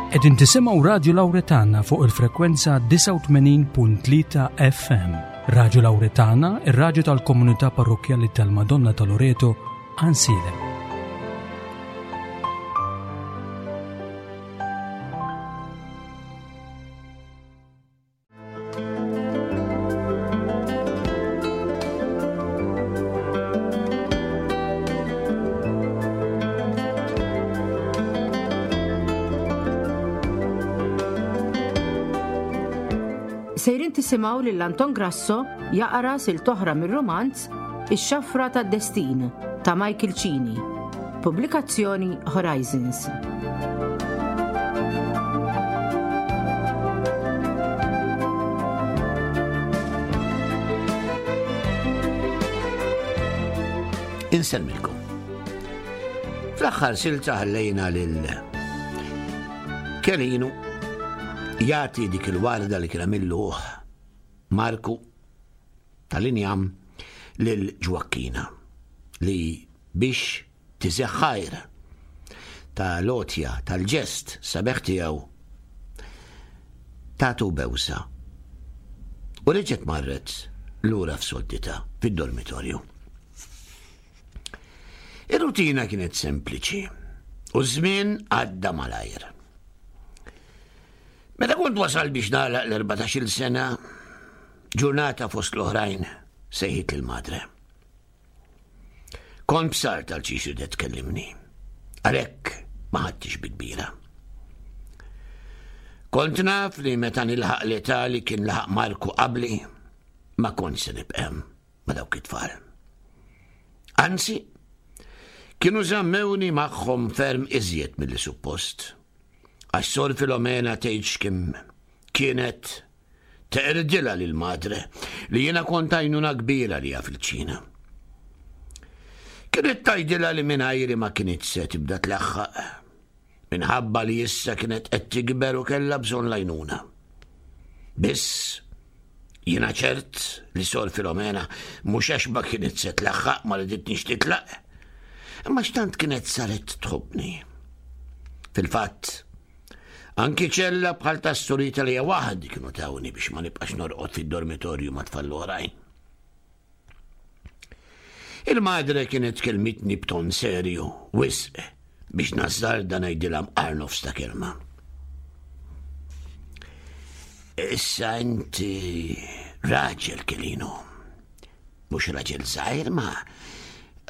Qegħdin tisimgħu Radju Lawretana fuq il-frekwenza 89.3 FM. Radju Lawretana, ir-radju tal-komunità parrokkjali tal-Madonna ta' Loreto, Ansilem. Sejrin tisimgħu lil Anton Grasso jaqra sil toħra mir-romanz Ix-Xafra tad-Destin ta' Michael Cini. Pubblikazzjoni Horizons. Insemmilkom. Fl-aħħar silta ħallejna lil Kelinu jagħti dik il-warda li kien għamillu Marku tal-injam lil Ġwakkina li biex tiżeħ ħajr ta' l-għotja tal-ġest sabiħ tiegħu tatu bewsa u reġgħet marret lura f'sodditha fid-dormitorju. Ir-rutina kienet sempliċi u ż-żmien għadda malajr. Meta kont wasal biex nagħlaq l-14-il sena, ġurnata fost l-oħrajn sejħit il-madre. Kont bsart għal xiex ridet tkellimni. Għalhekk ma ħadtix bi kbira. Kont naf li meta nilħaq l-età li kien laħaq Marku qabli, ma kont se nibqem ma dawk it-tfal. Anzi, kienu żammewni magħhom ferm iżjed milli suppost. Għax Sor Filomena tgħidx kemm kienet Teqridilha lil madre li jiena kont għajnuna kbira liha fil-ċina. Kienet tgħidilha li mingħajri ma kinitx se tibda tlaħħaq minħabba li issa kienet qed tikber u kellha bżonn l-għajnuna. Biss jiena ċert li Sor Filomena mhux għax ma kienet se tlaħħaq ma riditnix titlaq, imma x'tant kienet saret tħobbni. Fil-fatt, Anki ċella bħal tas-surita li waħdi kienu tawni biex ma nibqax norqod fid-dormitorju ma' tfal l-oħrajn. Il-madre kienet kelmitni b'ton serju, wisq, biex nazzarda ngħidilha mqar nofs ta' kelma. Issa inti raġel Kelino. Mhux raġel żgħir ma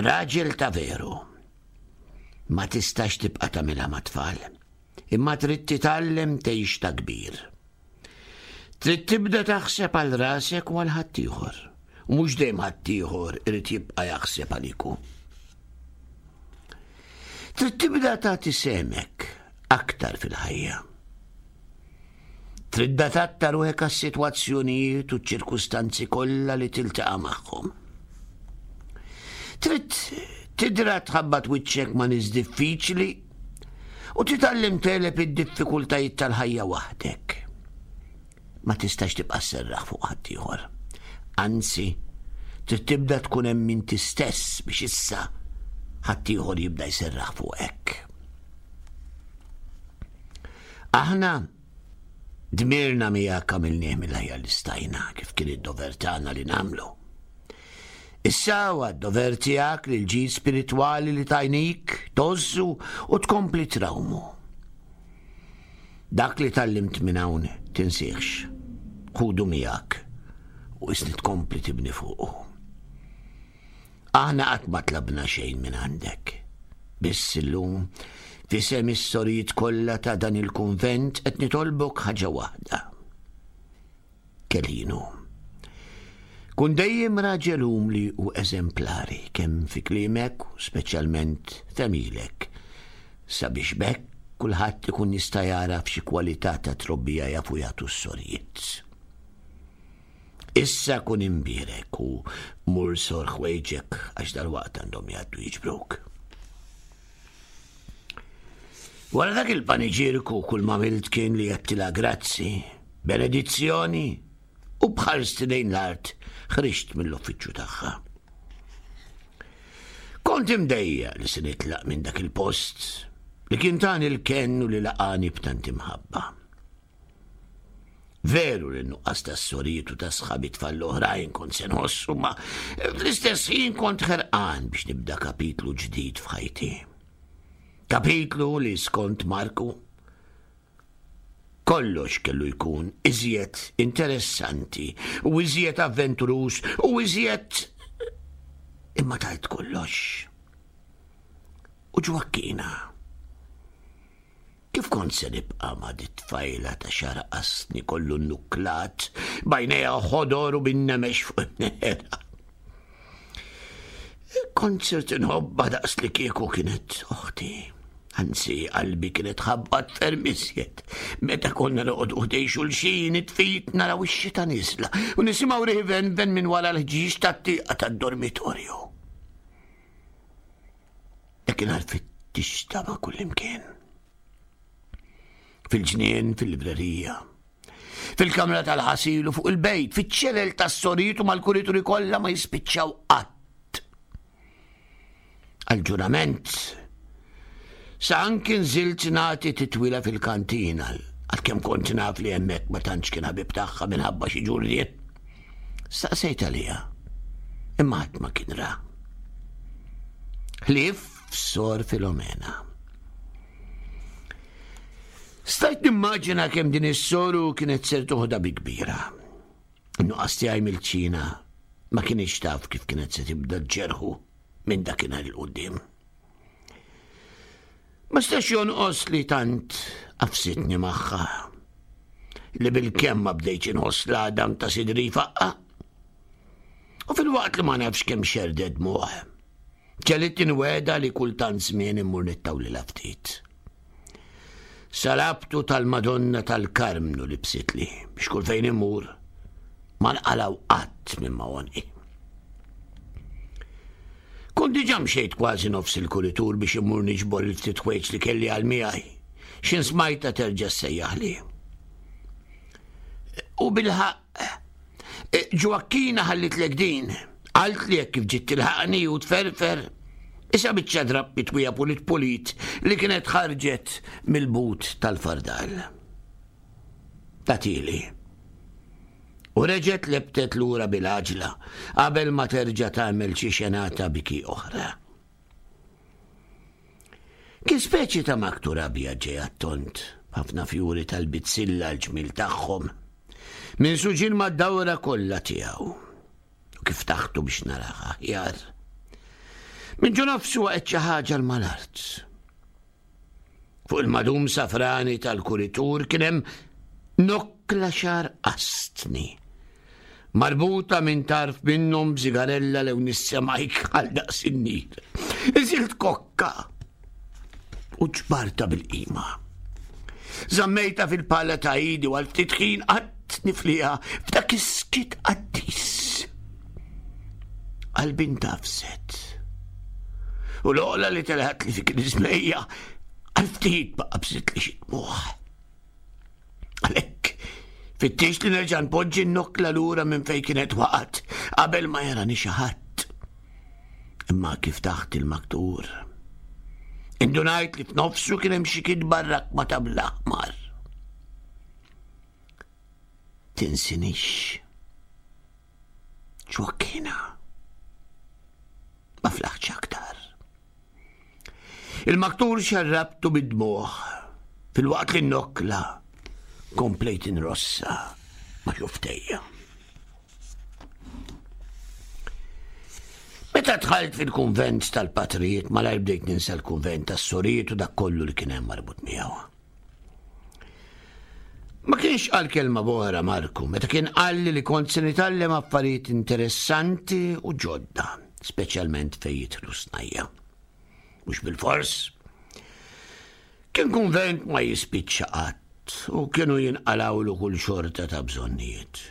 raġel ta' veru. Ma tistax tibqa' tagħmilha mat-tfal, imma trid titgħallem tgħix ta' kbir. Trid tibda taħseb għal rasek u għal ħaddieħor, u mhux dejjem ħaddieħor irid jibqa' jaħseb għalik hu. Trid tibda tagħti sehmek aktar fil-ħajja. Trid tadatta ruħek għas-sitwazzjonijiet u ċ-ċirkustanzi kollha li tiltaqa' magħhom. Trid tidra tħabbat wiċċek ma' nies diffiċli u titgħallem tegħleb id-diffikultajiet tal-ħajja waħdek. Ma tistax tibqa' sserraħ fuq ħaddieħor. Anzi, trid tibda tkun hemm inti stess biex issa ħaddieħor jibda jserraħ fuqek. Aħna dmirna miegħek għamilnieh mill-aħjar li stajna kif kien id-dover tagħna li nagħmlu. Issa huwa d-dover tiegħek li l-ġid spiritwali li tajnik tgħożżu u tkompli trawmu. Dak li tgħallimt minn hawn tinsihx, ħudu miegħek u isni tkompli tibni fuqu. Aħna qatt ma tlabna xejn minn għandek. Biss illum, f'isem is-sorijiet kollha ta' dan il-kunvent qed nitolbok ħaġa waħda. Kelinu. Kun dejjem raġel umli u eżemplari kemm fi kliemek u speċjalment f'għemilek, sabiex b'hekk kulħadd ikun jista' jagħraf xi kwalità ta' trobbija jafu jagħtu s-sorijiet. Issa kun imbierek u mur sor ħwejġek għax dalwaqt għandhom jgħaddu jiġbruk. Wara dak il-paniġirku kull ma għamilt kien li għedtilha grazzi, benedizzjoni u b'ħarsti lejn l-art ħriġt mill-uffiċċju tagħha. Kont imdejjaq li se nitlaq minn dak il-post. Li kien tani l-kenn u li laqani b'tant imħabba. Veru li nuqqas ta' sorijiet u ta' sħabi tfal l-oħrajn kont se nħossu ma fl-istess ħin kont ħerqan biex nibda kapitlu ġdid f'ħajti. Kapitlu li skont Marku kollox kellu jkun iżjed interessanti u iżjed avventuruż u iżjed imma tajt kollox. U ġwakkina. Kif kont se nibqa' ma' dit-tfajla ta' xagħar qasni kollu nnuklat, b'għajnejha ħodor u bin-nemex fuq imneħerha? Kont sirt inħobbha daqs li kieku kienet oħti. Anzi, qalbi kienet ħabbat ferm iżjed. Meta konna noqogħdu ħdej xulxin, it-tfit naraw ix-xita niżla u nisimgħu riħ venven minn wara l-ħġieġ tat-tieqa tad-dormitorju. Dakinhar fittixtha ma' kullimkien. Fil-ġnien, fil-librerija, fil-kamra tal-ħasil u fuq il-bejt, fiċ-ċelel tas-soritu mal-kurituri kollha ma jispiċċaw qatt. Għal-ġurament, sa anki nżilt nagħti titwila fil-kantina, għalkemm kont naf li hemmhekk ma tantx kien ħabib tagħha minħabba xi ġurriet. Staqsejt għaliha, imma ħadd ma kien ra. Ħlief Sor Filomena. Stajt nimmaġina kemm din is-soru kienet ser toħda bi kbira. Nuqqas tiegħi mill-ċina ma kienx taf kif kienet se tibda ġerħu minn dakinhar il-qudiem. Ma stax jonqos li tant qafsitni magħha li bil-kemm ma bdejtx inħoss l-għadam ta' sidri jfaqqa. U fil-waqt li ma nafx kemm xerdet dmuħ, ġelit inweda li kultant żmien immur nittawlilha ftit. Salabtu tal-Madonna tal-Karmnu li bsitli biex kull fejn immur ma nqalaw qatt minn ma' għonqi. Kont diġà mxejt kważi nofs il-kuritur biex immur niġbor il-ftit ħwejġ li kelli għal miegħi. X'in smajta terġa' ssejjaħli. U bilħaqq, e, Ġwakkina ħallitlek din. Qalt li hekk kif ġiet tilħaqni u tferfer. Issa biċċa drapp mitwija pulit pulit li kienet ħarġet mill-but tal-fardal. Tagħtili. U reġgħet lebtet lura bil-għaġla qabel ma terġa' tagħmel xi xenata biki oħra. Kien speċi ta' maktur abjad ġej għat-tond, b'ħafna fjuri tal-bizzilla l-ġmiel tagħhom, minsuġin mad-dawra kollha tiegħu. U kif taħtu biex narah aħjar. Minn ġo nofsu waqgħet xi ħaġa l-malart. Fuq il-madum safrani tal-kuritur kien hemm nokkla xar qastni. Marbuta minn tarf minnhom b'sigarella lew nissemajk għal daqs in-nir. Iżilt kokka u ġbarta bil-qima. Zammejta fil-pala ta' idi u għal ftit ħin qatt nifliha f'dak is-skit qaddis. Qalbi ntafset. U l-oqla li telgħet li fi griżmejja għal ftit baqa' bżitt li xi dmugħ. Għalhekk, fittix li nerġa' npoġġi n-nokla lura minn fejn kienet waqgħet qabel ma jarani xi ħadd. Imma kif taħt il-maktur. Indunajt li f'nofsu kien hemm xi kitba rakma ta' bl-aħmar. Tinsinix. Ġwakkina. Ma flaħċ aktar. Il-maktur xarrabtu bid-dmuħ fil-waqt li nokla komplejt inrossa ma xuftejja. Meta dħalt fil-kunvent tal-patrijiet malajr bdejt ninsa l-kunvent tas-sorijiet u dak kollu li kien hemm marbut miegħu. Ma kienx qal kelma boħra Marku, meta kien qalli li kont se nitgħallem affarijiet interessanti u ġodda, speċjalment fejn jidħlu snajja. Mhux bilfors. Kien kunvent ma jispiċċa qatt u kienu jinqalawlu kull xorta ta' bżonnijiet.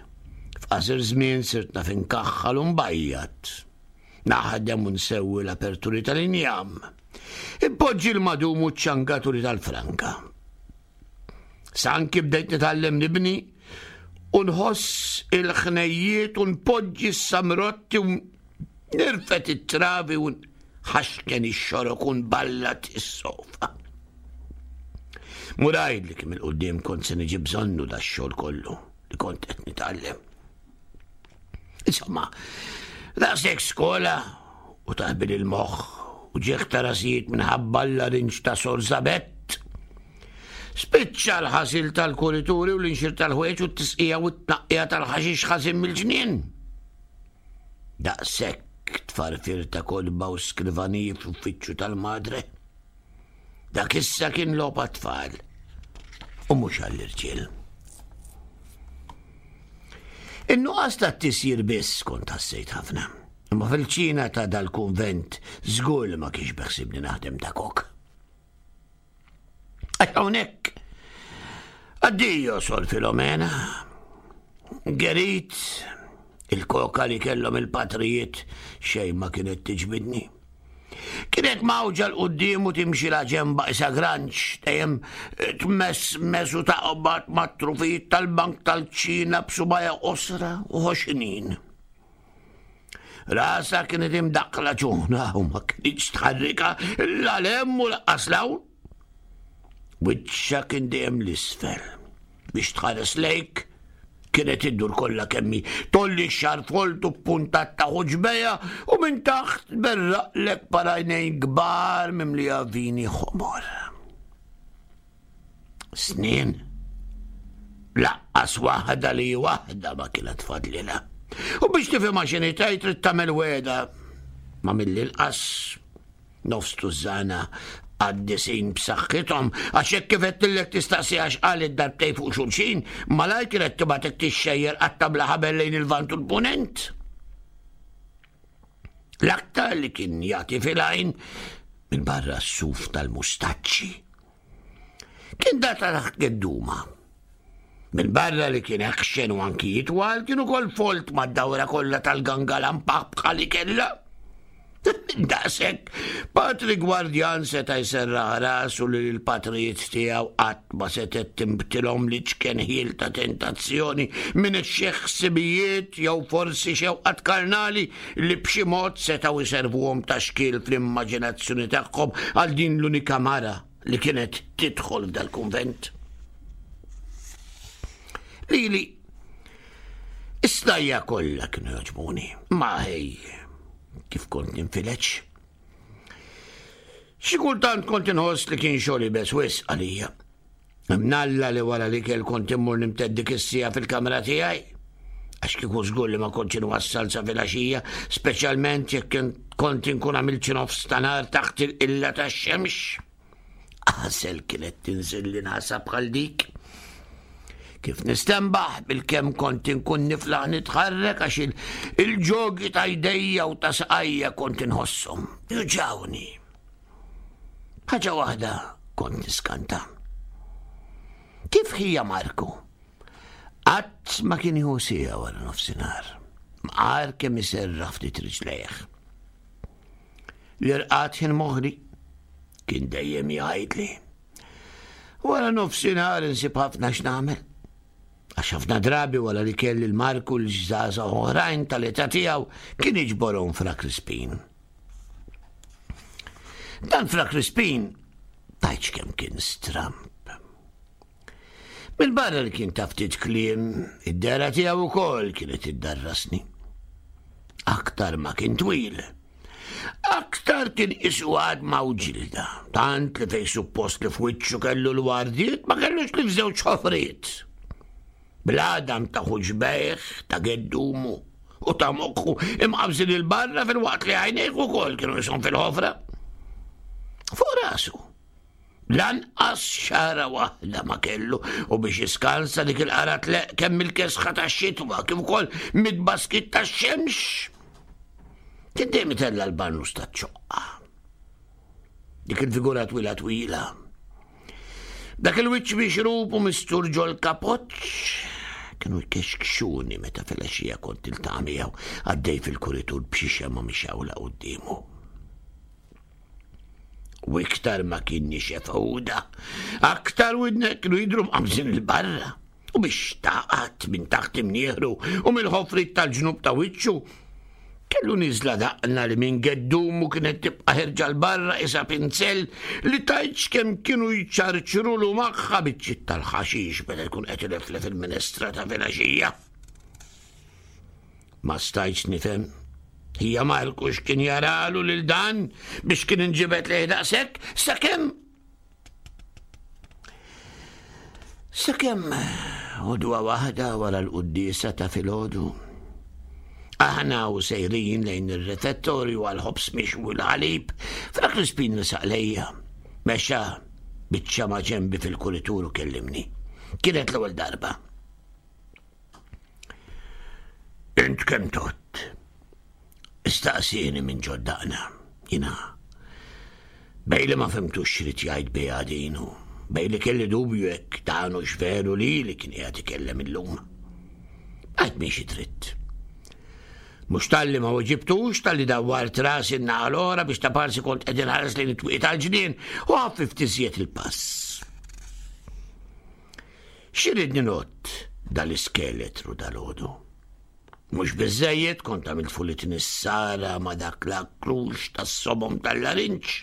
F'qasir żmien sirt naf inkaħħal u nbajjad. Naħdem u nsewwi l-aperturi tal-injam. Impoġġi l-madum u ċ-ċangaturi tal-franka. Sa anki bdejt nitgħallem nibni u nħoss il-ħnejjiet u npoġġi s-samrotti u nirfet it-travi u nħaxken ix-xorok u nballat is-sofa. Mur għidli kemm 'il quddiem kont se niġi bżonnu dax-xogħol kollu li kont qed nitgħallem. Insomma, daqshekk skola u taħbil il-moħħ u ġieħ ta' rasijiet minħabba l-larinġ ta' Sor Zabett. Spiċċa l-ħasil tal-kurituri u l-inxir tal-ħwejġ u t-tisqija u t-tnaqqija tal-ħaxix ħażin mill-ġnien. Daqshekk tfarfir ta' kotba u skrivaniji fl-uffiċċju tal-madre. Dak issa kien logħob għat-tfal u mhux għall-irġiel. In-nuqqas ta' tisjir biss kont ħassejt ħafna. Imma fil-ċina ta' dal-kunvent żgur li ma kienx beħsibni naħdem ta' kok. Għax hawnhekk addio Sor Filomena. Gerit il-koka li kellhom il-patrijiet xejn ma kienet tiġbidni. Kienet mawġa l-qudiem u timxi la ġemba isa granċ, dejjem tmess mes u taqbad mat-trufijiet tal-bank tal-ċina b'subajha qosra u ħoxnin. Rasa kienet imdaqqla ġuna u ma kienx tħarrika la lem u laqqas lawn. Wiċċha kien dejjem l-isfel. Biex tħares lejk, kienet iddur kollha kemmi tolli x-xar foltu b'puntat ta' ħuġbeja u minn taħt berraqlek parajnejn kbar mimlija vini ħomor. Snin. Laqqas waħda li waħda ma kienet fadlilha. U biex tifhimha x'inhi tgħid trid tagħmel wegħda ma mill-inqas nofs tużżana qaddisin b'saħħithom għax hekk kif qedtillek tistaqsi għax qalet darbtejn fuq xulxin, malajr kienet tibgħatek tixxejjer qatta bla ħabel lejn il-Lvant u l-Punent. L-aktar li kien jagħti fil-għajn minn barra s-suf tal-mustaċċi. Kien da ta' taħt gedduma. Minn barra li kien eħxen u anki jitwal, kien ukoll folt mad-dawra kollha tal-gangalampa bħal kellha. Daqshekk, Patri Gwardjan seta' jserraħ rasu li l-patrijiet tiegħu qatt ma setgħet tinbtilhom li ċken ħiel ta' tentazzjoni minn xi ħsibijiet jew forsi xewqat karnali li b'xi mod setgħu jservuhom ta' xkiel fl-immaġinazzjoni tagħhom għal din l-unika mara li kienet tidħol f'dal-kunvent. Lili, is-snajja kollha kienu jogħġbuni, ma ħej, kif kont ninfileċ. Xi kultant kont inħoss li kien xogħol ibes wisq għalija. Mnalla li wara li kell kont immur nimted dik is-siegħa fil-kamra tiegħi. Għax kieku żgur li ma kontx inwassal sa filgħaxija, speċjalment jekk kont inkun għamilt xi nofs ta' nhar taħt il-qilla tax-xemx. Għasel kienet tinżil li nasa bħal dik. Kif nistembaħ bil-kemm kont inkun niflaħ nitħarrek għax il-ġogi ta' jdejja u ta' saqajja kont inħosshom. Juġawni. Ħaġa waħda kont niskanta. Kif ħija Marku? Qatt ma kien jieħu siegħa wara nofsinhar. Mqar kemm iserraħ ftit riġlejh. L-irqad ħin moħri kien dejjem jgħidli. Wara nofsinhar insib ħafna x'nagħmel. Għax ħafna drabi wara li kelli l-Marku l-ġżaża oħrajn tal-età tiegħu kien iġborhom fra Crispin. Dan fra Crispin tajċ kemm kien stramp. Mill-barra li kien ta' ftit kliem, id-dera tiegħu wkoll kienet iddarrasni. Aktar ma kien twil. Aktar kien isu għad ma' ġilda, tant li fej suppost li f'wiċċu kellu l-wardiet ma kellux li f'żewġ ħofriet. Bl-għadam ta' ħuġbejh, ta' geddumu u ta' moħħu imqabżin il-barra fil-waqt li għajnejh ukoll kienu jisom fil-ħofra. Fuq rasu. Lanqas xara waħda ma kellu u biex jiskansa dik il-qara tleq kemm il-kesħa tax-xitwa kif ukoll mid-baskit tax-xemx. Kien dejjem itella' l-barnus taċ-ċoqqa. Dik il-figura twila twila. Dak il-wiċċ mixrub u mistur ġol kapoċ kienu jkexkxuni meta filgħaxija kont iltaqa' miegħu għaddej fil-kuritur b'xi xemgħa mixgħula quddiemu. U iktar ma kien nixef għuda, aktar widnek kienu jidhru mqamżin il-barra. U biex taqat minn taħt imnieħru u mill-ħofrit tal-ġnub ta' wiċċu. Kellu niżla daqna li minn geddumu kienet tibqa' ħerġa 'l barra qisha pinzell li tgħidx kemm kienu jċarċrulu magħha biċċiet tal-ħaxix meta jkun qed ileflef il-minestra ta' filgħaxija. Ma stajtx nifhem. Hija Marku x'kien jaralu lil dan biex kien inġibed lejh daqshekk sakemm Sakemm għodwa waħda wara l-quddiesa ta' filgħodu. Aħna u sejrin lejn ir-refettorju għal ħobż mixwi l-ħalib, Fra Crispin resaq lejja. Mexa biċċa ma' ġenbi fil-kuritur u kellimni. Kienet l-ewwel darba. Int kemm tott? Istaqsieni minn ġoddaqna. Jina. Bej li ma fimtux xrid jgħid biha din u bej li kelli dubju jekk dan hux veru li li kien qiegħed ikellem illum. Għajt miexi dritt. Mhux talli ma weġibtux talli dawwart rasi n-naħa l-oħra biex ta' parsi kont qed inħares lejn it-twieqi tal-ġnien u ħaffift iżjed il-pass. X'iridni ngħodd dal-iskeletru dalgħodu? Mhux biżżejjed kont għamilt fulit nissara ma' dak l-akrux tas-somom tal-larinġ.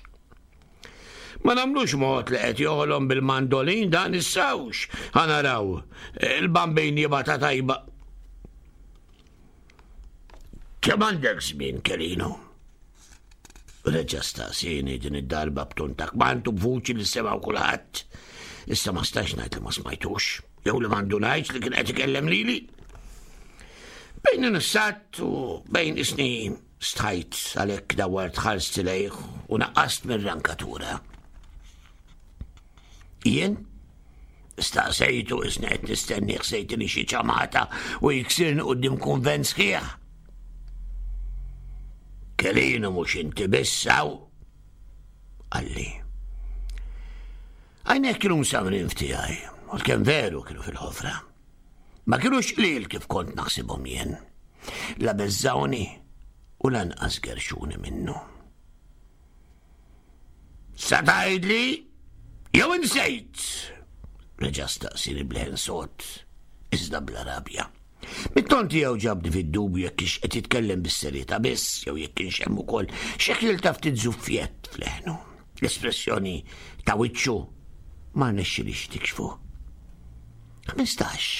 Ma nagħmlux mod li qed joħolom bil-mandolin dan is-sawx. Ħa naraw, il-bambin jibgħatha tajba. Kemm għandek żmien, Kelino? Reġa' staqsieni din id-darba b'ton ta' kmand u b'vuċi li semgħu kulħadd. Issa ma stax ngħid li ma smajtux, jew li m'għandu ngħidx li kien qed ikellem lili. Bejn nissat u bejn isni stħajt għalhekk dawart ħarsti lejh u naqqast mir-rankatura. Jien? Staqsejtu isni qed nistenni ħsejtini xi ċamata u jiksirni quddiem kunvent sħiħ. Kelinu mhux inti biss hawn. Qalli. Għajnek kienu msamrin f'tiegħi, u kemm veru kienu fil-ħofra. Ma kienux qliel kif kont naħsibhom jien. La beżżawni u lanqas gerxuni minnu. Sa tgħidli jew insejt? Reġa' staqsini b'leħen sod, iżda bla rabja. Mit-ton tiegħu ġabni fid-dubju jekk kienx qed jitkellem bis-serjetà biss jew jekk kienx hemm ukoll xi ħjiel ta' ftit żuffjett f'leħnu. L-espressjoni ta' wiċċu ma rnexxilix tikxfu. 15.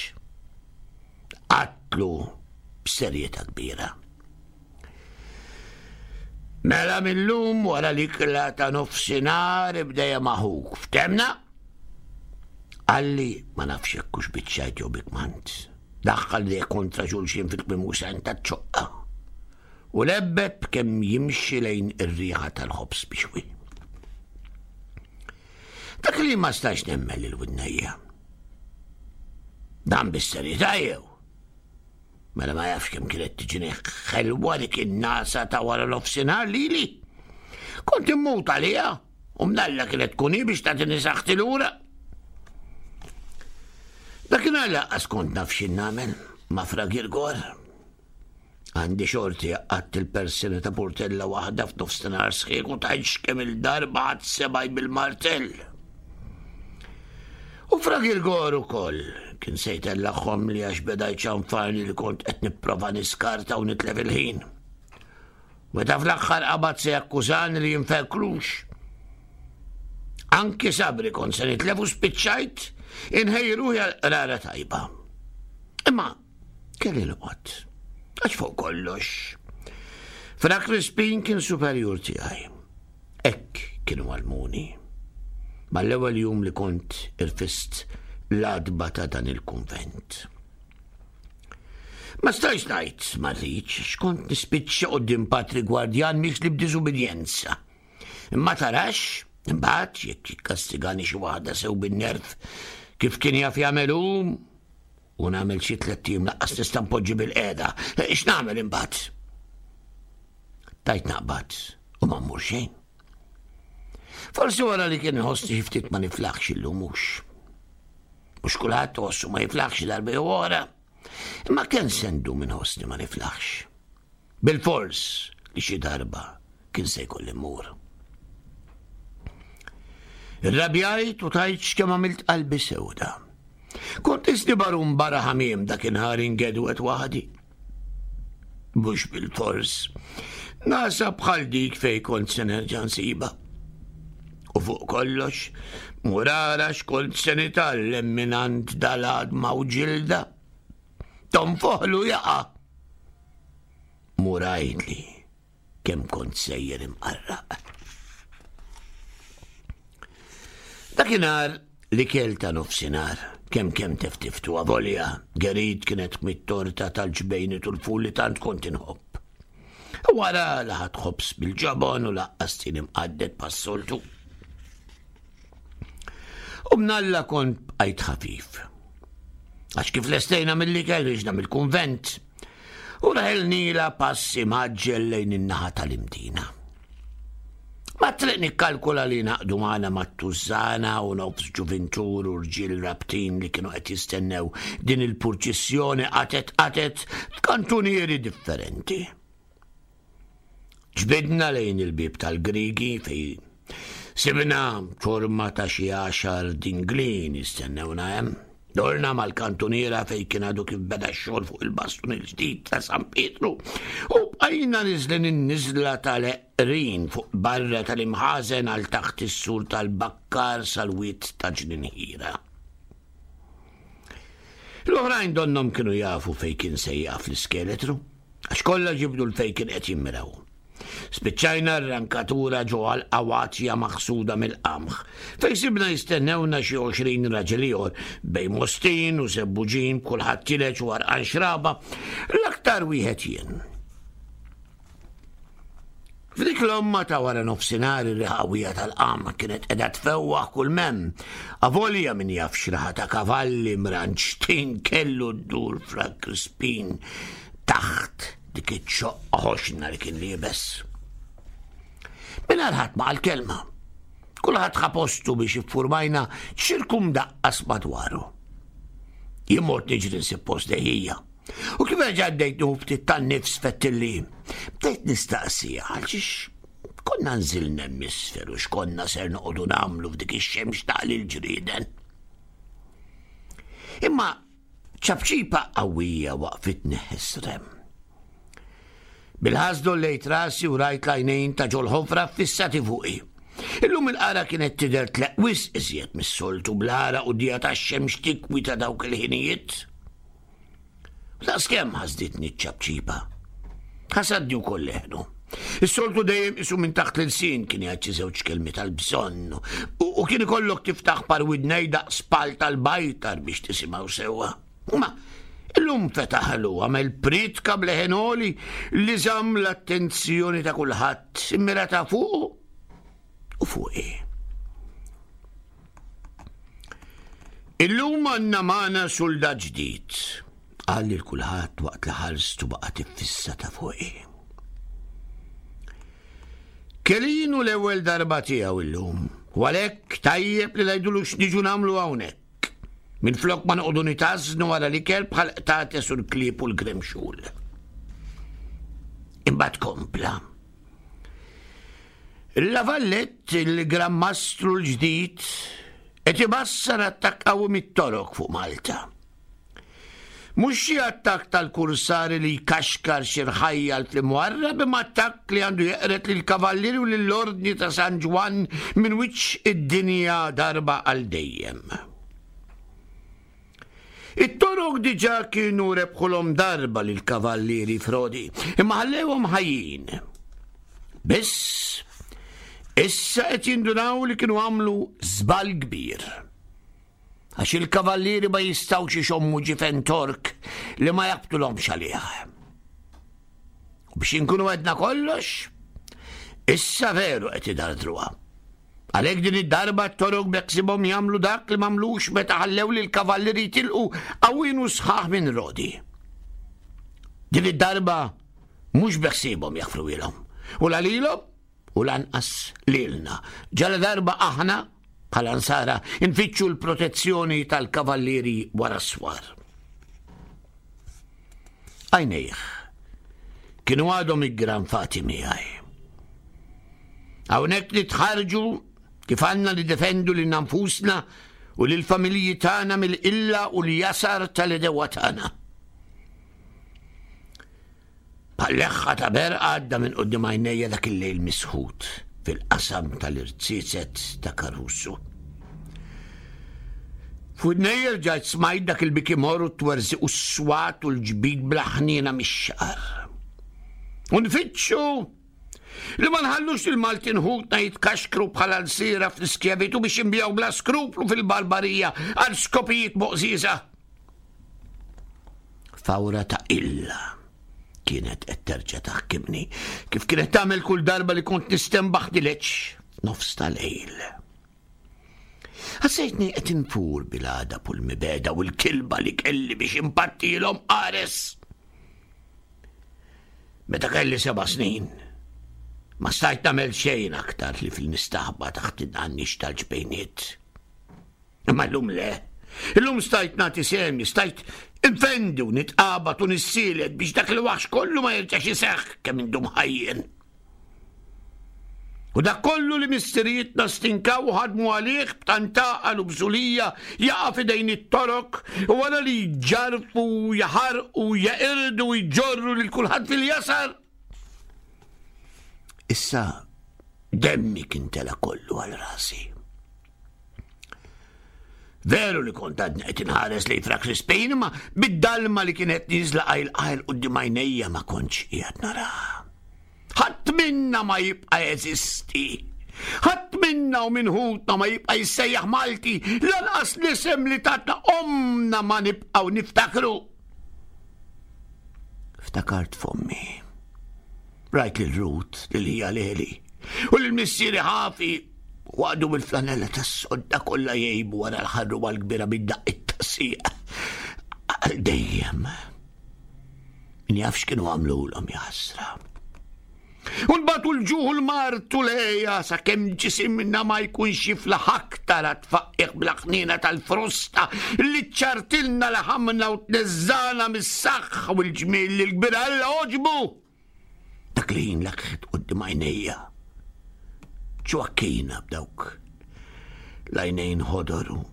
Qatlu b'serjetà kbira. Mela mil-lum wara l-ikla ta' nofsinhar ibda ma' ħuk. Ftemna? Qalli ma nafx jekk hux biċ-ċajt jew bi kmand. Daħħal li kontra xulxin fil-kmim u ta' ċoqqa. U lebbeb kemm jimxi lejn ir-riħa tal-ħobż bixwi. Dak li ma stax nemmen lil widnejja. Dan bis-serjetà jew? Mela ma jafx kemm kienet tiġini ħelwa dik in-nasa ta' wara nofsinhar lili. Kont immut għaliha u mnalla kienet tkun hi biex tagħtini saħħti lura. Dakinhar laqqas kont naf x'in nagħmel ma' Fra Girgor. Għandi xorti għatt il-persina ta' portella waħda f'nofsinhar sħiħ u tgħidx kemm il-darba għad sebaj bil-martell. U Fra Girgor ukoll kien se jtellagħhom li għax beda jċanfarni li kont qed nipprova niskarta u nitlef il-ħin. Meta fl-aħħar qabad se jakkużani li jinferklux. Anki sabri kont se nitlef u spiċċajt inħejji ruħi għal qrara tajba. Imma kelli noqgħod. Għax fuq kollox. Fra Crispin kien superjur tiegħi. Hekk kienu għallmuni. Mal-ewwel jum li kont irfist l-għatba ta' dan il-kunvent. Ma stajx ngħid ma rridx x'kont nispiċċa quddiem patri gwardjan mixli b'diżubbidjenza. Imma tarax, imbagħad jekk jikkastigani xi waħda sew bin-nerv kif kien jaf jagħmel hu u nagħmel xi tlett ijiem laqqas nista' npoġġi bil-qiegħda. X'nagħmel imbagħad? Tajt naqbad u ma mmur xejn. Forsi wara li kien iħossni xi ftit ma niflaħx illum mhux. Mhux kulħadd iħossu ma jiflaħx darba jew oħra. Imma kemm se ndum inħossni ma niflaħx. Bil-fors li xi darba kien se jkolli mmur. Irrabjajt u tajt x'kemm għamilt qalbi sewda. Kont isni barun barra ħamiem dakinhar ingedwet waħdi. Mhux bilfors. Nasa bħal dik fejn kont se nerġa' nsibha. U fuq kollox, mur ara x'kont se nitgħallem mingħand dal-għadma u ġilda. Tonfoħlu jaqa'. Mur għidli kemm kont sejjer imqarraq. Dakinhar l-ikel ta' nofsinhar, kemm kemm teftiftu avolja, Gerit kienet mit-torta tal-ġbejni u l-ful li tant kont inħobb. Wara laħat ħobż bil-ġobon u laqqas tin imqadded pas-soltu. U mnalla kont bqajt ħafif. Għax kif lestejna mill-ikel riġna mill-kunvent, u raħilnila pass imgħaġġel lejn in-naħa tal-Imdina. Ma triq nikkalkula li naqdu magħna mat-tużżana u nofs ġuvintur u rġiel rabtin li kienu qed jistennew din il-purċissjoni qatet qatet f'kantunieri differenti. Ġbidna lejn il-bieb tal-Grigi fejn sibna ċorma ta' xi għaxar dinglin jistennewna hemm. Dorna mal-kantuniera fejn kien għadu kif beda x-xogħol fuq il-bastun il-ġdid ta' San Pietru u bqajna niżlin in-niżla tal-eqrin fuq barra tal-imħażen għal taħt is-sur tal-bakkar sal-wied ta' Ġninħira. L-oħrajn donnhom kienu jafu fejn kien se jaqaf l-iskeletru. Għax kollha ġibdu l fejn kien qed jimmiraw. Spiċċajna r-rankatura ġo għalqa watja maħsuda mill-qamħ, fejn sibna jistennewna xi 20 raġel ieħor bejn Mostin u Żebbuġin b'kulħadd tileġ u għarqan xraba, l-aktar wieħed jien. F'dik l-omma ta' wara nofsinhar ir-riħa qawwija tal-qamħ kienet qiegħda tfewwaħ kull m'hemm. Avolja min jaf x'raħa ta' kavalli mranġtin kellu ddur Fra Crispin taħt dik iċ-ċoqqa ħoxna li kien liebes. Mingħajr ħadd ma qal kelma. Kulħadd ħa postu biex iffurmajna ċirku mdaqqas madwaru. Jien mort niġri nsib post dejjija. U kif erġa' bdejt nieħu ftit tan-nifs fettilli, bdejt nistaqsi għalxiex konna nżilna hemm isfel u x'konna ser noqogħdu nagħmlu f'dik ix-xemx taqli l-ġrieden. Imma ċapċipa qawwija waqfitni ħesrem. Bil-ħasdu lejt rasi u rajt l-għajnejn ta' ġol-ħofra fissati fuqi. Illum il-qara kienet tidher tleq wisq iżjed mis-soltu bl-għaraq u d-dija tax-xemx tikwi ta' dawk il-ħinijiet. Daqskemm ħasditni ċ-ċapċipa. Ħasadni wkoll leħnu. Is-soltu dejjem isu minn taħt l-ilsien kien jgħid xi żewġ kelmi tal-bżonn u kien ikollok tiftaħ par widnej daqs pal tal-bajtar biex tisimgħu sewwa. Ma illum fetaħlu għamel pritka bleħen għoli li żamm l-attenzjoni ta' kulħadd immirata fuqu u fuqi. Illum għandna magħna suldat ġdid, qal lil kulħadd waqt li ħarstu baqgħet iffissata fuqi. Kelinu l-ewwel darba tiegħu illum, u għalhekk tajjeb li ngħidulu x'niġu nagħmlu hawnhekk. Minflok ma noqogħdu nitażnu wara l-ikel bħal qtates u l-klieb u l-gremxul. Imbagħad kompla. La Vallette, il-Gran Mastru l-ġdid, qed ibassar attakk qawwi mit-Torok fuq Malta. Mhux xi attakk tal-kursari li jkaxkar xi rħajjal fl-imwarrab imma attakk li għandu jeqred lill-Kavallieri u lill-Ordni ta' San Ġwann minn wiċċ id-dinja darba għal dejjem. It-Torok diġà kienu rebħulhom darba lill-Kavallieri Frodi, imma ħallewhom ħajjin. Biss, issa qed jindunaw li kienu għamlu żball kbir. Għax il-Kavallieri ma jistgħux ixommu ġifen Tork li ma jaqbtulhomx għalih. U biex inkunu għedna kollox, issa veru qed idardruha. Għalhekk din id-darba t-Torok beħsiebhom jagħmlu dak li m'għamlux meta ħallew lill-kavallieri jitilqu qawwin u sħaħ minn Rodi. Din id-darba mhux beħsiebhom jaħfruhielhom, u la lilhom u lanqas lilna. Ġala darba aħna bħala nsara nfittxu l-protezzjoni tal-kavallieri wara s-swar. Għajnejh kienu għadhom iggranfati miegħi. Hawnhekk nitħarġu kif għandna nidefendu lilna nfusna u lill-familji tagħna mill-qilla u l-jasar tal-edewa tagħna. Bħal leħħa ta' berqa għadda minn quddiem għajnejja dak il-lejl misħut fil-qasam tal-irziezet ta' Caruso. F'widnejja rġajt smajt dak il-biki mor u t-twerżiq u s-swat u l-ġbid bla ħniena mix-xagħar. U nfittxu li ma nħallux il-Maltin ħutna jitkaxkru bħala lsiera fl-iskjavitu biex jinbiegħu bla skruplu fil-barbarija għal skopijiet moqżieża. Fawra ta' illa kienet qed terġa' taħkimni kif kienet tagħmel kull darba li kont nistenbaħ dileċ nofs tal-lejl. Ħassejtni qed infur bil-għadab u l-mibegħda u l-kilba li kelli biex impattilhom qares. Meta kelli seba' snin, ma stajt nagħmel xejn aktar li fil-nistaħba taħt id-għannix tal-ġbejniet. Imma llum le. Illum stajt nagħti sehmi, stajt infendi u nitqabad u nissielet biex dak il-waħx kollu ma jerġax iseħħ kemm indum ħajjin. U dak kollu li missirijietna stinkaw u ħadmu għalih b'tant għaqal u bżulija jaqa' f'idejn it-Torok u wara li jġarrfu, jaħarqu, jeqirdu u jġorru lil kulħadd fil-jasar. Issa demmi kien tela' kollu għal rasi. Veru li kont għadni qed inħares lejn Fra Crispin, imma bid-dalma li kienet nieżla qajl qajl quddiem għajnejja ma kontx qiegħed naraha. Ħadd minna ma jibqa' jeżisti. Ħadd minna u minn ħutna ma jibqa' jissejjaħ Malti, lanqas l-isem li tatna ommna ma nibqgħu niftakru. Ftakart f'ommi. Rajt lil Ruth, lil ħija Leli, u lil missieri ħafi waqdu bil-flanella tas-sodda kollha jgħibu wara l-ħarruba l-kbira bid-daqqiet tas-sieq. Għal dejjem. Min jaf x'kienu għamlulhom jaħasra. U nbatu l-ġuħ u l-mard u l-għeja sakemm ġisimna ma jkunx jiflaħ aktar għat-tfaqqiħ bla ħniena tal-frosta li ċċartilna laħamna u tneżżagħna mis-saħħa u l-ġmiel li l-kbir Alla għoġbu. Dak li ħin lakħet quddiem għajnejja. Ġwakkina b'dawk l-għajnejn ħodor u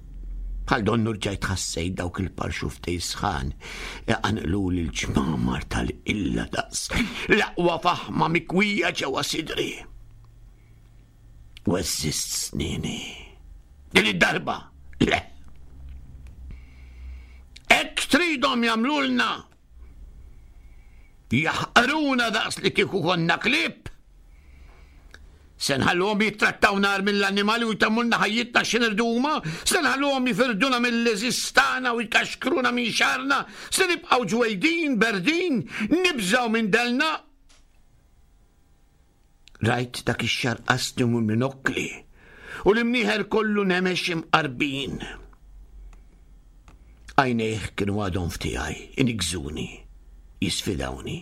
bħal donnu rġajt ħassejt dawk il-parxuftej sħan iqanqluli l-ġmamar tal-illa daqs l-aqwa faħma mikwija ġewwa sidri. U eżist snini. Din id-darba, le. Hekk tridhom jagħmlulna. Jaħqruna daqs li kieku konna klieb. Se nħalluhom jittrattawna agħar mill-annimali u jtemmulna ħajjitna x'inirdu huma? Se nħalluhom jifirduna mill-għeżież tagħna u jkaxkruna minn xagħarna? Se nibqgħu ġwejdin, berdin, nibżgħu minn delna? Rajt dak ix-xagħar qasni u minokkli u l-imnieħer kollu nemex imqarbin. Għajnejh kienu għadhom f'tiegħi, inigżuni, jisfidawni.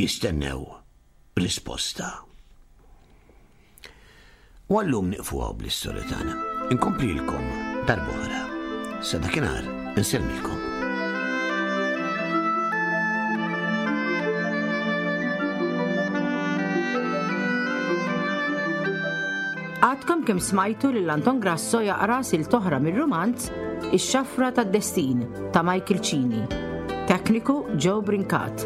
Jistennew risposta. U għallum niqfu għaw bl-istorja tagħna. Inkomplilkom darb'oħra. Sa dakinhar insellmilkom. Għadkom kemm smajtu lil Anton Grasso jaqra sil toħra mir-rumanz Ix-Xafra tad-Destin ta' Michael Cini. Tekniku Joe Brincat.